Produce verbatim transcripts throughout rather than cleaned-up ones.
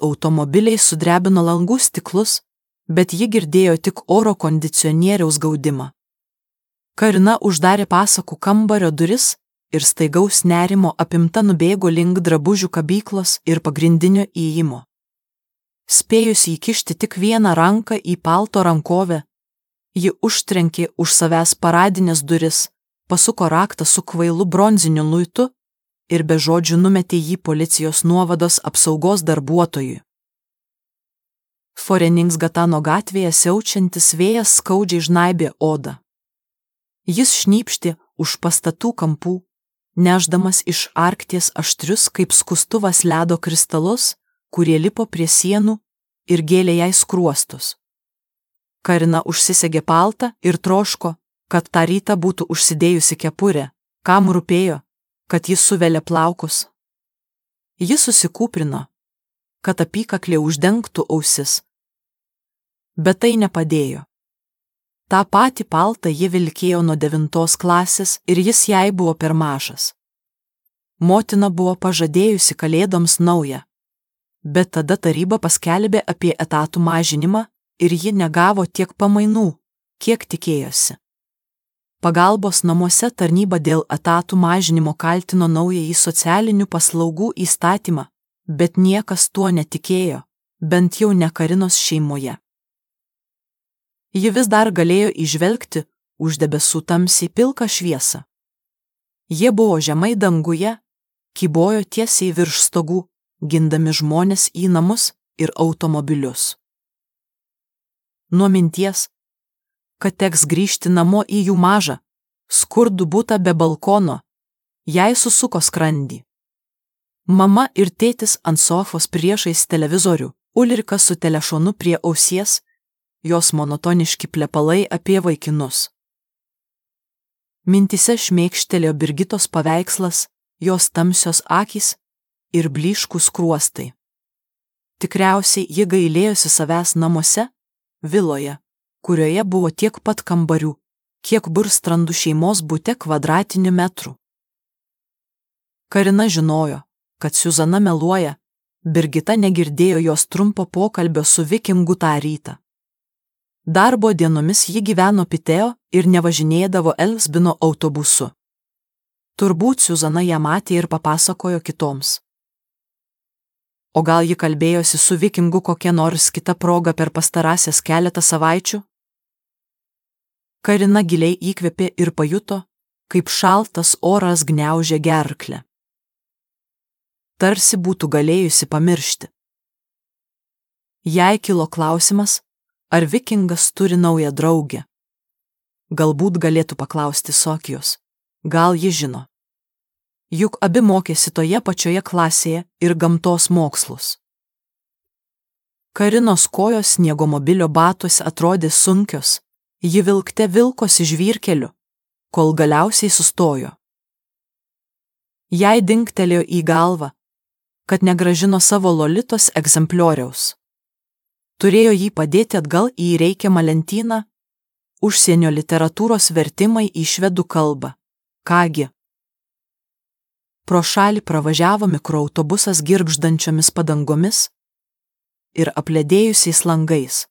Automobiliai sudrebino langų stiklus, bet ji girdėjo tik oro kondicionieriaus gaudimą. Karina uždarė pasakų kambario duris ir staigaus nerimo apimta nubėgo link drabužių kabyklos ir pagrindinio įėjimo. Spėjusi įkišti tik vieną ranką į palto rankovę, ji užtrenkė už savęs paradinės duris, pasuko raktą su kvailu bronziniu luitu ir be žodžių numetė jį policijos nuovados apsaugos darbuotojui. Foreningsgatano gatvėje siaučiantis vėjas skaudžiai žnaibė odą. Jis šnypštė už pastatų kampų, nešdamas iš Arkties aštrius kaip skustuvas ledo kristalus, kurie lipo prie sienų ir gėlė jai skruostus. Karina užsisegė paltą ir troško, kad tą rytą būtų užsidėjusi kepurę, kam rūpėjo, kad jis suvelė plaukus. Jis susikūprino, kad apykaklė uždengtų ausis. Bet tai nepadėjo. Ta patį paltą ji vilkėjo nuo devintos klasės ir jis jai buvo per mažas. Motina buvo pažadėjusi kalėdoms naują, bet tada taryba paskelbė apie etatų mažinimą ir ji negavo tiek pamainų, kiek tikėjosi. Pagalbos namuose tarnyba dėl etatų mažinimo kaltino naująjį socialinių paslaugų įstatymą, bet niekas tuo netikėjo, bent jau ne Karinos šeimoje. Ji vis dar galėjo įžvelgti už debesų tamsiai pilką šviesą. Jie buvo žemai danguje, kybojo tiesiai virš stogų, gindami žmones į namus ir automobilius. Nuo minties, kad teks grįžti namo į jų mažą, skurdų butą be balkono, jai susuko skrandį. Mama ir tėtis ant sofos priešais televizorių, Ulrika su telefonu prie ausies, jos monotoniški plepalai apie vaikinus. Mintise šmėkštelėjo Birgitos paveikslas, jos tamsios akys ir blyškūs skruostai. Tikriausiai ji gailėjosi savęs namuose, viloje, kurioje buvo tiek pat kambarių, kiek Burstrandų šeimos bute kvadratinių metrų. Karina žinojo, kad Siuzana meluoja, Birgita negirdėjo jos trumpo pokalbio su Vikingu tą rytą. Darbo dienomis ji gyveno Piteo ir nevažinėdavo Elsbino autobusu. Turbūt Siuzana ją matė ir papasakojo kitoms. O gal ji kalbėjosi su Vikingu kokia nors kita proga per pastarąsias keletą savaičių? Karina giliai įkvėpė ir pajuto, kaip šaltas oras gniaužė gerklę. Tarsi būtų galėjusi pamiršti. Jai kilo klausimas, ar Vikingas turi naują draugę. Galbūt galėtų paklausti Sofijos, gal ji žino. Juk abi mokėsi toje pačioje klasėje ir gamtos mokslus. Karinos kojos sniegomobilio batuose atrodė sunkios, ji vilkte vilkosi žvyrkeliu, kol galiausiai sustojo. Jai dingtelėjo į galvą, kad negrąžino savo Lolitos egzemplioriaus. Turėjo jį padėti atgal į reikiamą lentyną, užsienio literatūros vertimai į švedų kalbą. Kągi. Pro šalį pravažiavo mikroautobusas girgždančiomis padangomis ir apledėjusiais langais.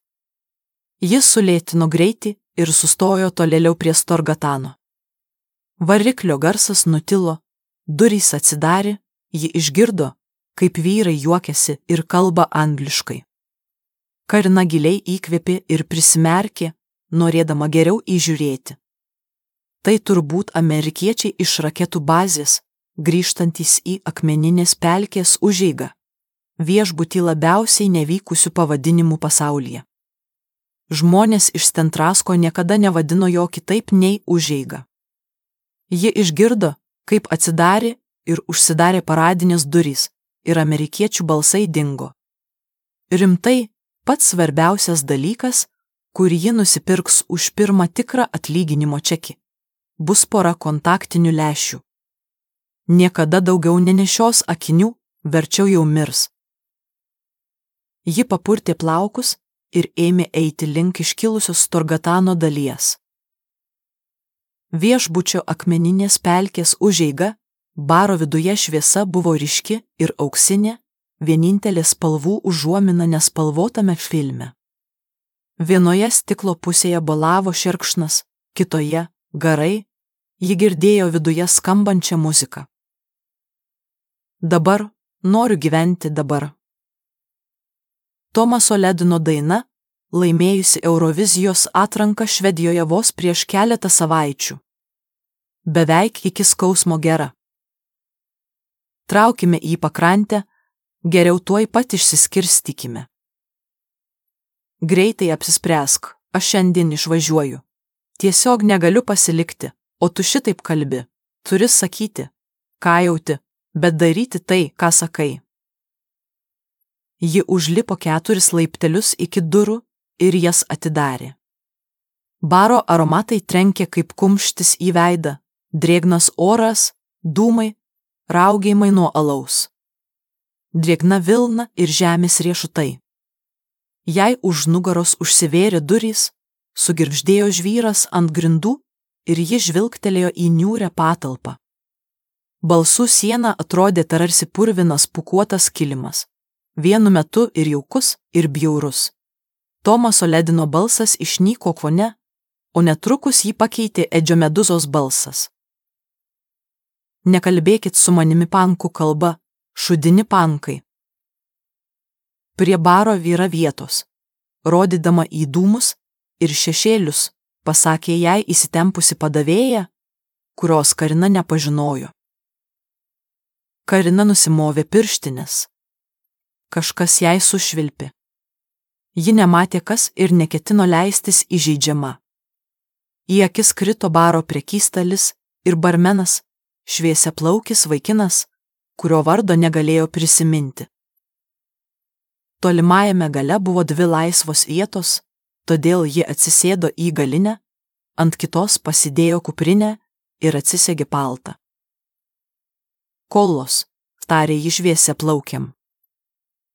Jis sulėtino greitį ir sustojo tolėliau prie Storgatano. Variklio garsas nutilo, durys atsidarė, ji išgirdo, kaip vyrai juokiasi ir kalba angliškai. Karina giliai įkvėpė ir prisimerkė, norėdama geriau įžiūrėti. Tai turbūt amerikiečiai iš raketų bazės, grįžtantys į akmeninės pelkės užeigą, viešbutį labiausiai nevykusių pavadinimų pasaulyje. Žmonės iš Stentrasko niekada nevadino jo kitaip nei užeiga. Ji išgirdo, kaip atsidarė ir užsidarė paradinės durys, ir amerikiečių balsai dingo. Rimtai, pats svarbiausias dalykas, kurį ji nusipirks už pirmą tikrą atlyginimo čekį, bus pora kontaktinių lęšių. Niekada daugiau nenešios akinių, verčiau jau mirs. Ji papurtė plaukus ir ėmė eiti link iškilusios Storgatano dalies. Viešbučio akmeninės pelkės užeiga, baro viduje šviesa buvo ryški ir auksinė, vienintelė spalvų užuomina nespalvotame filme. Vienoje stiklo pusėje balavo šerkšnas, kitoje – garai, ji girdėjo viduje skambančią muziką. Dabar noriu gyventi dabar. Tomaso Ledino daina, laimėjusi Eurovizijos atranką Švedijoje vos prieš keletą savaičių. Beveik iki skausmo gera. Traukime į pakrantę, geriau tuoj pat išsiskirstykime. Greitai apsispręsk, aš šiandien išvažiuoju. Tiesiog negaliu pasilikti, o tu šitaip kalbi. Turi sakyti, ką jauti, bet daryti tai, ką sakai. Ji užlipo keturis laiptelius iki durų ir jas atidarė. Baro aromatai trenkė kaip kumštis į veidą, drėgnas oras, dūmai, raugėjimai nuo alaus. Drėgna vilna ir žemės riešutai. Jai už nugaros užsivėrė durys, sugirgždėjo žvyras ant grindų ir ji žvilgtelėjo į niūrią patalpą. Balsų siena atrodė tarsi purvinas pūkuotas kilimas, vienu metu ir jaukus, ir bjaurus. Tomaso Ledino balsas išnyko fone, o netrukus jį pakeitė Edžio Meduzos balsas. Nekalbėkit su manimi pankų kalba, šudini pankai. Prie baro vyra vietos, rodydama į dūmus ir šešėlius, pasakė jai įsitempusi padavėja, kurios Karina nepažinojo. Karina nusimovė pirštines. Kažkas jai sušvilpė. Ji nematė kas ir neketino leistis įžeidžiama. Į akis krito baro prekystalis ir barmenas, šviesiaplaukis vaikinas, kurio vardo negalėjo prisiminti. Tolimajame gale buvo dvi laisvos vietos, todėl ji atsisėdo į galinę, ant kitos pasidėjo kuprinę ir atsisegė paltą. Kolos, tarė ji šviesiaplaukiam.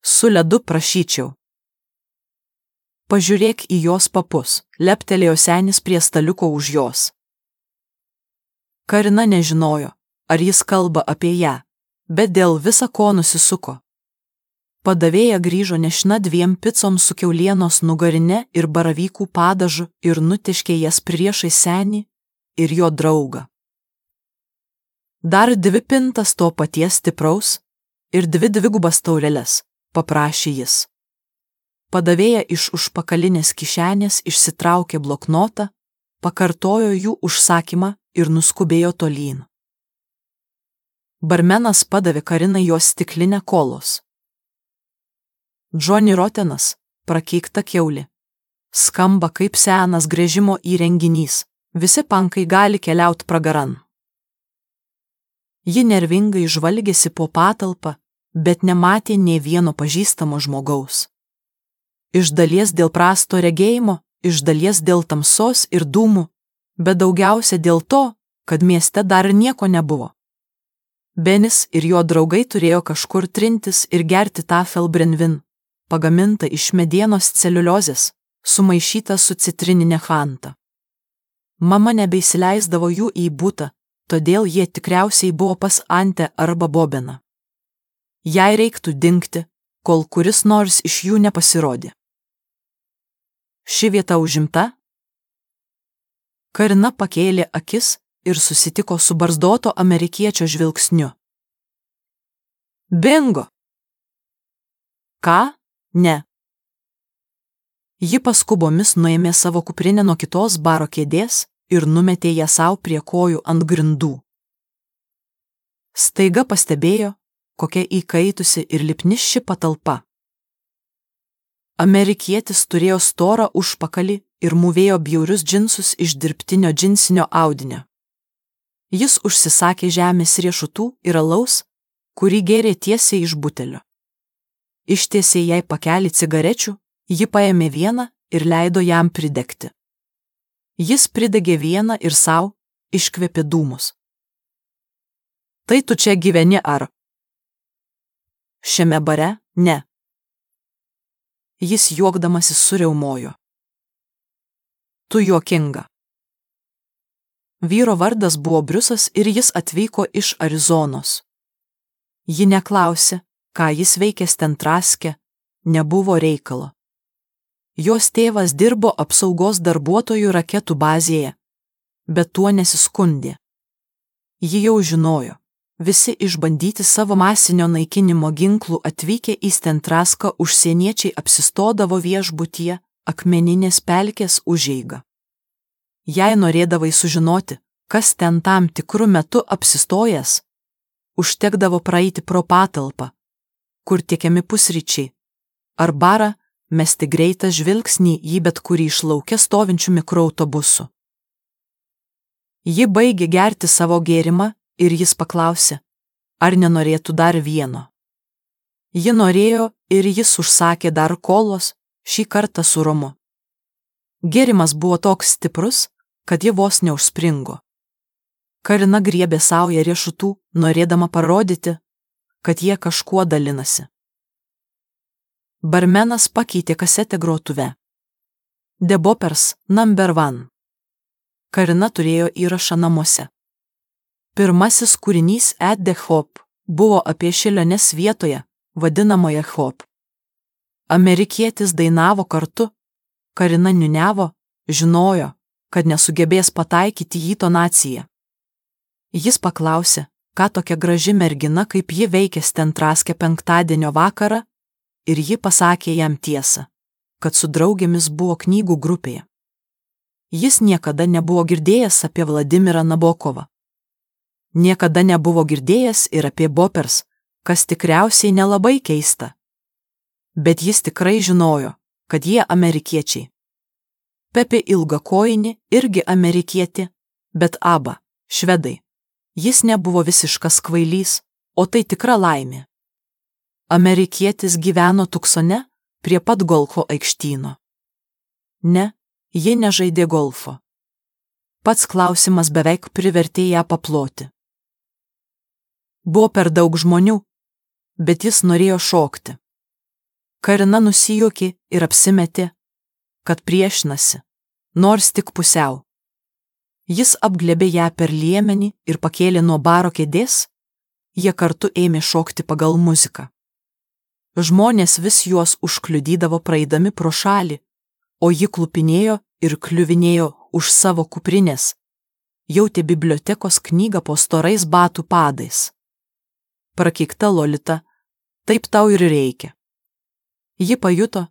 Su ledu prašyčiau. Pažiūrėk į jos papus, leptelėjo senis prie staliuko už jos. Karina nežinojo, ar jis kalba apie ją, bet dėl visa ko nusisuko. Padavėja grįžo nešina dviem picom su kiaulienos nugarine ir baravykų padažu ir nutiškė jas priešais senį ir jo draugą. Dar dvi pintas to paties stipraus ir dvi dvigubas taureles, paprašė jis. Padavėja iš užpakalinės kišenės išsitraukė bloknotą, pakartojo jų užsakymą ir nuskubėjo tolyn. Barmenas padavė Karinai jos stiklinę kolos. Johnny Rotenas, prakeikta kiaulė. Skamba kaip senas gręžimo įrenginys, visi pankai gali keliaut pragaran. Ji nervingai žvalgėsi po patalpą, bet nematė nė vieno pažįstamo žmogaus. Iš dalies dėl prasto regėjimo, iš dalies dėl tamsos ir dūmų, bet daugiausia dėl to, kad mieste dar nieko nebuvo. Benis ir jo draugai turėjo kažkur trintis ir gerti tafelbrenvin, pagamintą iš medienos celiuliozės, sumaišytą su citrininė fanta. Mama nebeįsileisdavo jų į butą, todėl jie tikriausiai buvo pas Antę arba Bobeną. Jai reiktų dingti, kol kuris nors iš jų nepasirodė. Ši vieta užimta? Karina pakėlė akis ir susitiko su barzdoto amerikiečio žvilgsniu. Bingo! Ką? Ne. Ji paskubomis nuėmė savo kuprinę nuo kitos baro kėdės ir numetė ją sau prie kojų ant grindų. Staiga pastebėjo, kokia įkaitusi ir lipni ši patalpa. Amerikietis turėjo storą užpakalį ir mūvėjo bjaurius džinsus iš dirbtinio džinsinio audinio. Jis užsisakė žemės riešutų ir alaus, kurį gėrė tiesiai iš butelio. Ištiesė jai pakelį cigarečių, ji paėmė vieną ir leido jam pridegti. Jis pridegė vieną ir sau, iškvėpė dūmus. Tai tu čia gyveni ar? Šiame bare? Ne. Jis juokdamasis suriaumojo. Tu juokinga. Vyro vardas buvo Briusas ir jis atvyko iš Arizonos. Ji neklausė, ką jis veikė Stentraske, nebuvo reikalo. Jos tėvas dirbo apsaugos darbuotojų raketų bazėje, bet tuo nesiskundė. Ji jau žinojo, visi išbandyti savo masinio naikinimo ginklų atvykę į Stentraską užsieniečiai apsistodavo viešbutyje Akmeninės pelkės užeiga. Jei norėdavai sužinoti, kas ten tam tikru metu apsistojęs, užtekdavo praeiti pro patalpą, kur tiekiami pusryčiai, ar barą mesti greitą žvilgsnį į bet kurį iš lauke stovinčių mikroautobusų. Ji baigė gerti savo gėrimą ir jis paklausė, ar nenorėtų dar vieno. Ji norėjo ir jis užsakė dar kolos, šį kartą su romu. Gėrimas buvo toks stiprus, kad ji vos neužspringo. Karina griebė saują riešutų, norėdama parodyti, kad jie kažkuo dalinasi. Barmenas pakeitė kasetę grotuve. The Boppers number one. Karina turėjo įrašą namuose. Pirmasis kūrinys At the Hop buvo apie šėliones vietoje, vadinamoje Hop. Amerikietis dainavo kartu, Karina niuniavo, žinojo, kad nesugebės pataikyti į tonaciją. Jis paklausė, ką tokia graži mergina kaip ji veikė Stentraske penktadienio vakarą, ir ji pasakė jam tiesą, kad su draugėmis buvo knygų grupėje. Jis niekada nebuvo girdėjęs apie Vladimirą Nabokovą. Niekada nebuvo girdėjęs ir apie Boppers, kas tikriausiai nelabai keista. Bet jis tikrai žinojo, kad jie amerikiečiai. Pepė Ilgakojinė irgi amerikietė, bet aba švedai. Jis nebuvo visiškas kvailys, o tai tikra laimė. Amerikietis gyveno Tuksone prie pat golfo aikštyno. Ne, ji nežaidė golfo. Pats klausimas beveik privertė ją paploti. Buvo per daug žmonių, bet jis norėjo šokti. Karina nusijuokė ir apsimetė, kad priešinasi, nors tik pusiau. Jis apglėbė ją per liemenį ir pakėlė nuo baro kėdės, jie kartu ėmė šokti pagal muziką. Žmonės vis juos užkliudydavo praeidami pro šalį, o ji klupinėjo ir kliuvinėjo už savo kuprinės, jautė bibliotekos knygą po storais batų padais. Prakeikta Lolita, taip tau ir reikia. Ji pajuto,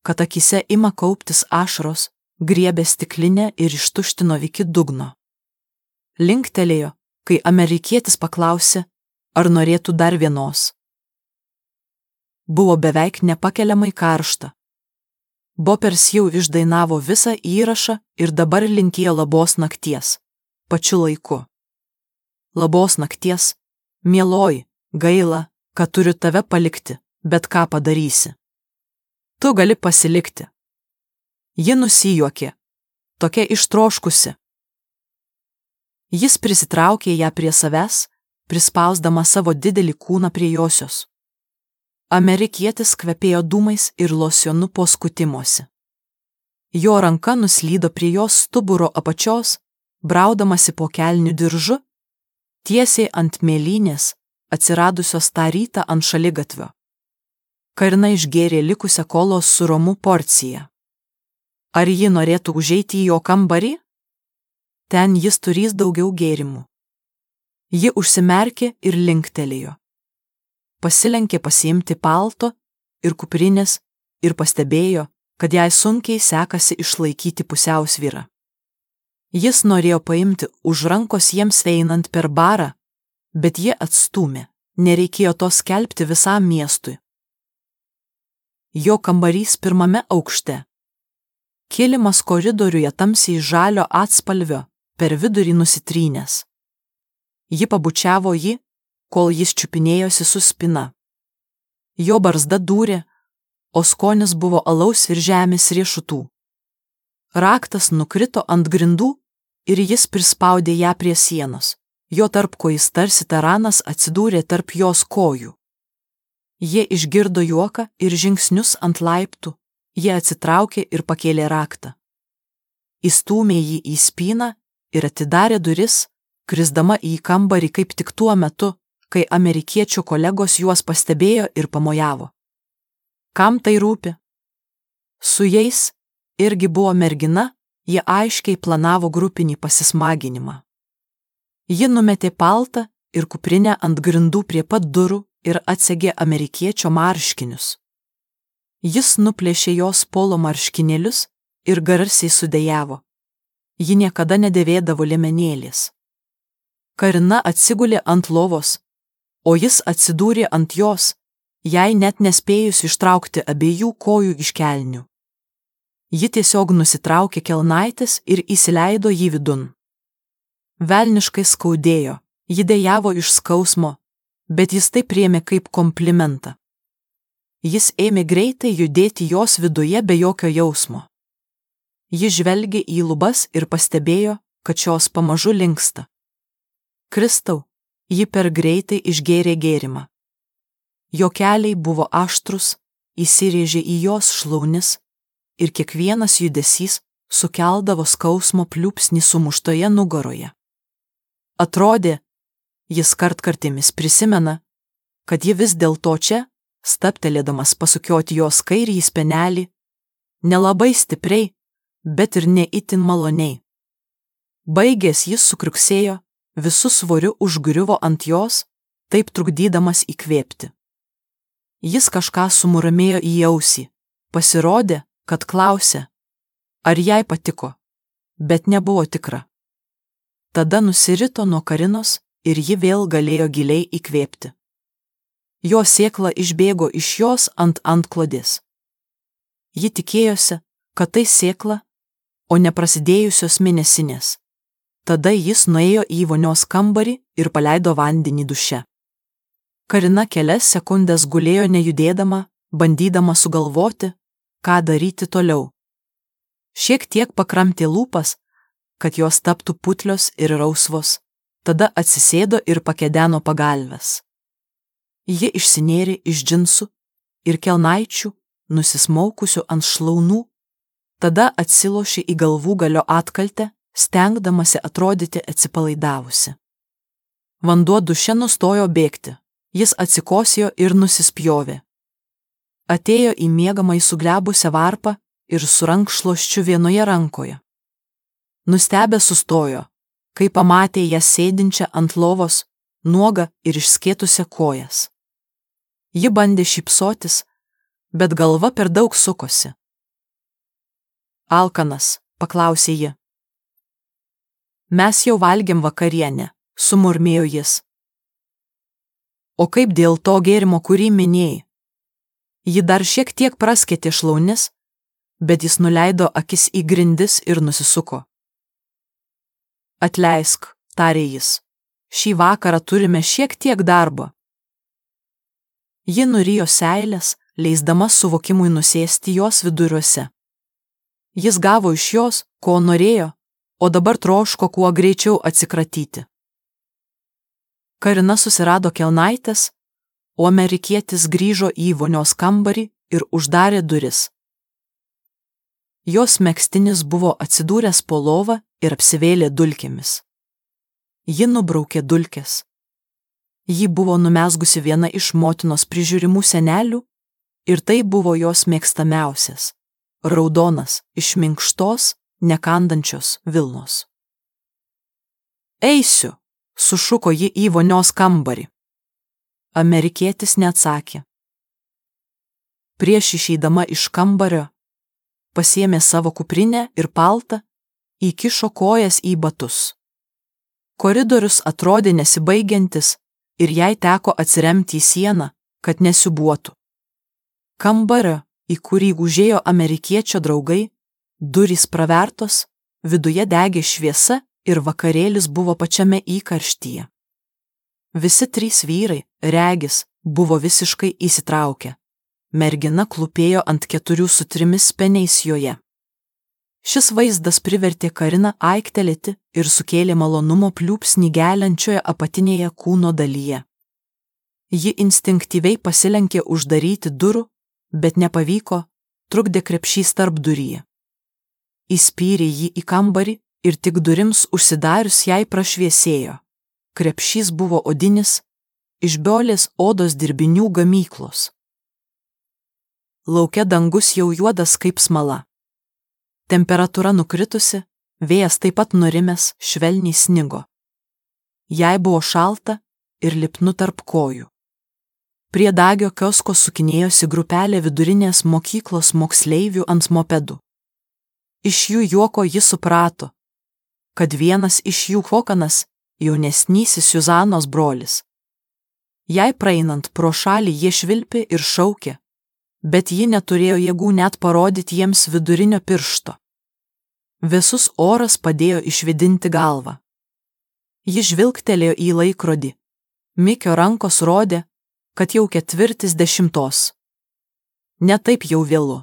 kad akise ima kauptis ašaros, griebė stiklinę ir ištuštino iki dugno. Linktelėjo, kai amerikietis paklausė, ar norėtų dar vienos. Buvo beveik nepakeliamai karšta. Boppers jau išdainavo visą įrašą ir dabar linkėjo labos nakties, pačiu laiku. Labos nakties, mieloji, gaila, kad turiu tave palikti, bet ką padarysi. Tu gali pasilikti. Ji nusijuokė, tokia ištroškusi. Jis prisitraukė ją prie savęs, prispausdama savo didelį kūną prie josios. Amerikietis kvepėjo dūmais ir losionu po skutimosi. Jo ranka nuslydo prie jos stuburo apačios, braudamasi po kelnių diržu, tiesiai ant mėlynės, atsiradusios tą rytą ant šaligatvio. Karina išgėrė likusią kolos su romu porciją. Ar ji norėtų užeiti į jo kambarį? Ten jis turės daugiau gėrimų. Ji užsimerkė ir linktelėjo. Pasilenkė pasiimti palto ir kuprinės ir pastebėjo, kad jai sunkiai sekasi išlaikyti pusiausvyrą. Jis norėjo paimti už rankos jiems einant per barą, bet jie atstūmė, nereikėjo to skelbti visam miestui. Jo kambarys pirmame aukšte. Kilimas koridoriuje tamsiai žalio atspalvio, per vidurį nusitrynęs. Ji pabučiavo jį, kol jis čiupinėjosi su spina. Jo barzda dūrė, o skonis buvo alaus ir žemės riešutų. Raktas nukrito ant grindų ir jis prispaudė ją prie sienos. Jo tarpkojis tarsi taranas atsidūrė tarp jos kojų. Jie išgirdo juoką ir žingsnius ant laiptų, jie atsitraukė ir pakėlė raktą. Įstūmė jį į spyną ir atidarė duris, krisdama į kambarį kaip tik tuo metu, kai amerikiečių kolegos juos pastebėjo ir pamojavo. Kam tai rūpi? Su jais irgi buvo mergina, jie aiškiai planavo grupinį pasismaginimą. Ji numetė paltą ir kuprinę ant grindų prie pat durų ir atsegė amerikiečio marškinius. Jis nuplėšė jos polo marškinėlius ir garsiai sudejavo. Ji niekada nedėvėdavo liemenėlės. Karina atsigulė ant lovos, o jis atsidūrė ant jos, jai net nespėjus ištraukti abiejų kojų iš kelnių. Ji tiesiog nusitraukė kelnaites ir įsileido jį vidun. Velniškai skaudėjo, ji dejavo iš skausmo, bet jis tai priėmė kaip komplimentą. Jis ėmė greitai judėti jos viduje be jokio jausmo. Ji žvelgė į lubas ir pastebėjo, kad šios pamažu linksta. Kristau, ji per greitai išgėrė gėrimą. Jo keliai buvo aštrus, įsirėžė į jos šlaunis ir kiekvienas judesys sukeldavo skausmo pliūpsnį sumuštoje nugaroje. Atrodė, jis kartkartėmis prisimena, kad ji vis dėlto čia, stabtelėdamas pasukioti jos kairįjį spenelį, nelabai stipriai, bet ir ne itin maloniai. Baigęs jis sukriuksėjo, visu svoriu užgriuvo ant jos, taip trukdydamas įkvėpti. Jis kažką sumuramėjo į ausį, pasirodė, kad klausė, ar jai patiko, bet nebuvo tikra. Tada nusirito nuo Karinos ir ji vėl galėjo giliai įkvėpti. Jo sėkla išbėgo iš jos ant antklodės. Ji tikėjosi, kad tai sėkla, o ne prasidėjusios mėnesinės. Tada jis nuėjo į vonios kambarį ir paleido vandenį duše. Karina kelias sekundės gulėjo nejudėdama, bandydama sugalvoti, ką daryti toliau. Šiek tiek pakramtė lūpas, kad jos taptų putlios ir rausvos, tada atsisėdo ir pakedeno pagalves. Ji išsinėrė iš džinsų ir kelnaičių, nusismaukusių ant šlaunų, tada atsilošė į galvų galio atkaltę, stengdamasi atrodyti atsipalaidavusi. Vanduo duše nustojo bėgti, jis atsikosėjo ir nusispjovė. Atėjo į miegamąjį suglebusią varpą ir su rankšluosčiu vienoje rankoje. Nustebę sustojo, kai pamatė ją sėdinčią ant lovos, nuogą ir išskėtusią kojas. Ji bandė šypsotis, bet galva per daug sukosi. Alkanas, paklausė ji. Mes jau valgėm vakarienę, sumurmėjo jis. O kaip dėl to gėrimo, kurį minėjai? Ji dar šiek tiek praskėtė šlaunis, bet jis nuleido akis į grindis ir nusisuko. Atleisk, tarė jis, šį vakarą turime šiek tiek darbo. Ji nurijo seilės, leisdama suvokimui nusėsti jos viduriuose. Jis gavo iš jos, ko norėjo, o dabar troško kuo greičiau atsikratyti. Karina susirado kelnaites, o amerikietis grįžo į vonios kambarį ir uždarė duris. Jos megztinis buvo atsidūręs po lova ir apsivėlė dulkėmis. Ji nubraukė dulkes. Ji buvo numezgusi viena iš motinos prižiūrimų senelių ir tai buvo jos mėgstamiausias, raudonas, iš minkštos, nekandančios vilnos. Eisiu, sušuko ji į vonios kambarį. Amerikietis neatsakė. Prieš išeidama iš kambario, pasiėmė savo kuprinę ir paltą, įkišo kojas į batus. Koridorius atrodė nesibaigiantis ir jai teko atsiremti į sieną, kad nesiūbuotų. Kambario, į kurį užėjo amerikiečio draugai, durys pravertos, viduje degė šviesa ir vakarėlis buvo pačiame įkarštyje. Visi trys vyrai, regis, buvo visiškai įsitraukę. Mergina klūpėjo ant keturių su trimis peniais joje. Šis vaizdas privertė Kariną aiktelėti ir sukėlė malonumo pliūpsnį geliančioje apatinėje kūno dalyje. Ji instinktyviai pasilenkė uždaryti durų, bet nepavyko, trukdė krepšys tarp duryje. Įspyrė jį į kambarį ir tik durims užsidarius jai prašviesėjo. Krepšys buvo odinis, iš Biolės odos dirbinių gamyklos. Lauke dangus jau juodas kaip smala. Temperatūra nukritusi, vėjas taip pat nurimęs, švelniai snigo. Jai buvo šalta ir lipnu tarp kojų. Prie Dagio kiosko sukinėjosi grupelė vidurinės mokyklos moksleivių ant mopedų. Iš jų juoko ji suprato, kad vienas iš jų Hokanas, jaunesnysis Juzanos brolis. Jai praeinant pro šalį jie švilpė ir šaukė, bet ji neturėjo jėgų net parodyti jiems vidurinio piršto. Visus oras padėjo išvidinti galvą. Ji žvilgtelėjo į laikrodį. Mikio rankos rodė, kad jau ketvirtis dešimtos. Ne taip jau vėlu.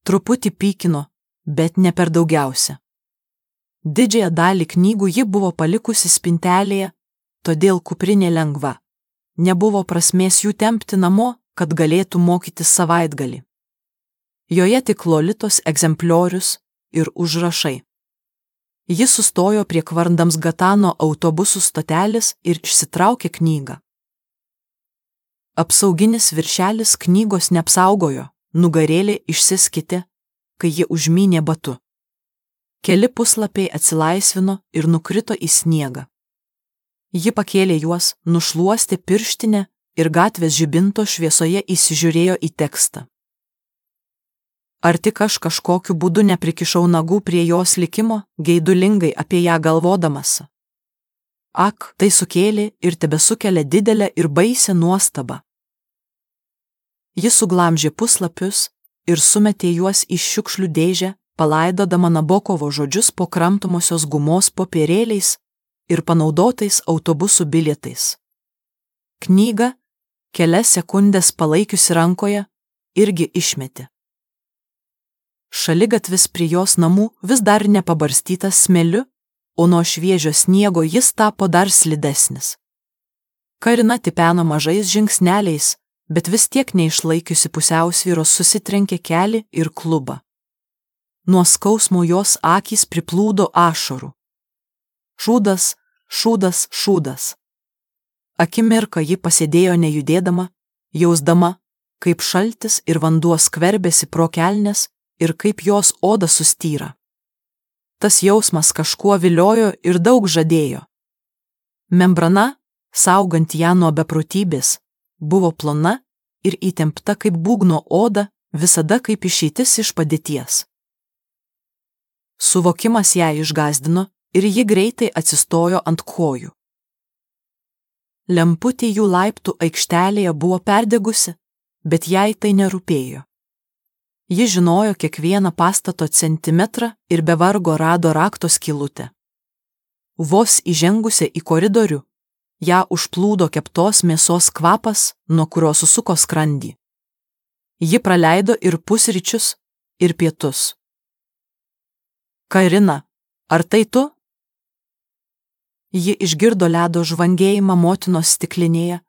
Truputį pykino, bet ne per daugiausia. Didžiąją dalį knygų ji buvo palikusi spintelėje, todėl kuprinė lengva. Nebuvo prasmės jų tempti namo, kad galėtų mokytis savaitgalį. Joje tik Lolitos egzempliorius ir užrašai. Ji sustojo prie Kvarndamsgatano autobusų stotelės ir išsitraukė knygą. Apsauginis viršelis knygos neapsaugojo, nugarėlė išsiskitė, kai ji užmynė batu. Keli puslapiai atsilaisvino ir nukrito į sniegą. Ji pakėlė juos, nušluostė pirštinę ir gatvės žibinto šviesoje įsižiūrėjo į tekstą. Ar tik aš kažkokiu būdu neprikišau nagų prie jos likimo, geidulingai apie ją galvodamas? Ak, tai sukėlė ir tebesukelia didelę ir baisią nuostabą. Ji suglamžė puslapius ir sumetė juos į šiukšlių dėžę, palaidodama Nabokovo žodžius po kramtomosios gumos popierėliais ir panaudotais autobusų bilietais. Knygą, kelias sekundės palaikiusi rankoje, irgi išmetė. Šaligatvis prie jos namų vis dar nepabarstytas smėliu, o nuo šviežio sniego jis tapo dar slidesnis. Karina tipeno mažais žingsneliais, bet vis tiek neišlaikiusi pusiausvyros susitrenkė kelį ir klubą. Nuo skausmo jos akys priplūdo ašarų. Šūdas, šūdas, šūdas. Akimirką ji pasėdėjo nejudėdama, jausdama, kaip šaltis ir vanduo skverbėsi pro kelnes ir kaip jos oda sustyra. Tas jausmas kažkuo viliojo ir daug žadėjo. Membrana, saugant ją nuo beprotybės, buvo plona ir įtempta kaip būgno oda, visada kaip išeitis iš padėties. Suvokimas ją išgąsdino ir ji greitai atsistojo ant kojų. Lemputė jų laiptų aikštelėje buvo perdegusi, bet jai tai nerūpėjo. Ji žinojo kiekvieną pastato centimetrą ir be vargo rado rakto skylutę. Vos įžengusi į koridorių, ją užplūdo keptos mėsos kvapas, nuo kurio susuko skrandį. Ji praleido ir pusryčius, ir pietus. Karina, ar tai tu? Ji išgirdo ledo žvangėjimą motinos stiklinėje,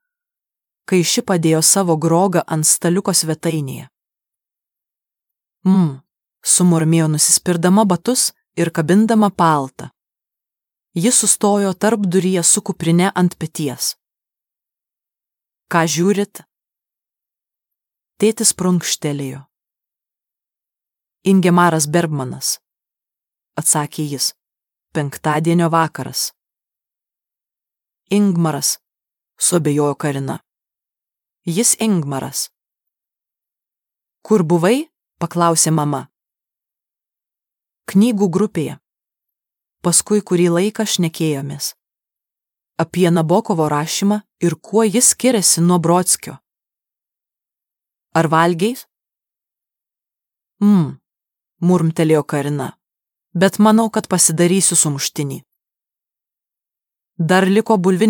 kai ši padėjo savo grogą ant staliuko svetainėje. Mmm, sumurmėjo nusispirdama batus ir kabindama paltą. Ji sustojo tarpduryje su kuprine ant peties. Ką žiūrit? Tėtis prunkštelėjo. Ingemaras Bergmanas, atsakė jis, penktadienio vakaras. Ingmaras, suabejojo Karina. Jis Ingmaras. Kur buvai? Paklausė mama. Knygų grupėje. Paskui kurį laiką šnekėjomės. Apie Nabokovo rašymą ir kuo jis skiriasi nuo Brodskio. Ar valgiai? Mmm, murmtelėjo Karina, bet manau, kad pasidarysiu sumuštinį. Dar liko bulvinė